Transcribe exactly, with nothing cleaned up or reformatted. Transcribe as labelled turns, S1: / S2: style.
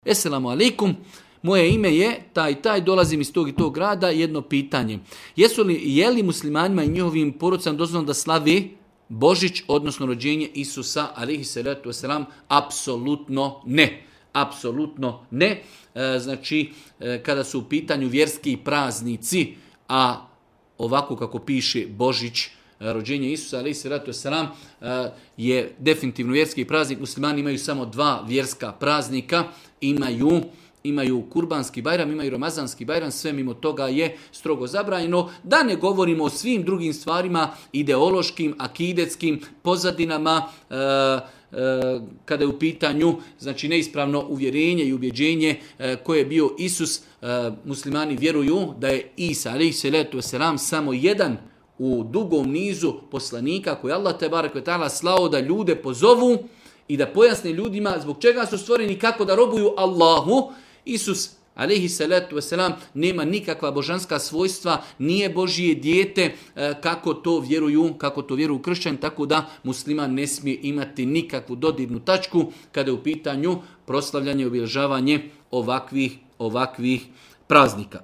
S1: Esselamu alaikum, moje ime je taj taj, dolazim iz tog i tog grada, jedno pitanje. Jesu li, je li muslimanima i njihovim porodicama dozvoljeno da slavi Božić, odnosno rođenje Isusa, alejhi salatu vesselam? Apsolutno ne. Apsolutno ne. E, znači, e, kada su u pitanju vjerski praznici, a ovako kako piše Božić, rođenje Isusa, alejhi salatu vesselam, je definitivno vjerski praznik. Muslimani imaju samo dva vjerska praznika, imaju imaju kurbanski bajram, imaju ramazanski bajram, sve mimo toga je strogo zabranjeno. Da ne govorimo o svim drugim stvarima, ideološkim, akidetskim pozadinama, e, e, kada je u pitanju znači neispravno uvjerenje i ubjeđenje e, koje je bio Isus. E, muslimani vjeruju da je Isa, alejhi salatu vesselam, samo jedan u dugom nizu poslanika koji Allah te barek ve taala slao da ljude pozovu i da pojasne ljudima zbog čega su stvoreni, kako da robuju Allahu. Isus, alejhi salatu vesselam, nema nikakva božanska svojstva, nije Božje dijete, kako to vjeruju, kako to vjeruju kršćani, tako da musliman ne smije imati nikakvu dodirnu tačku kada je u pitanju proslavljanje i obilježavanje ovakvih ovakvih praznika.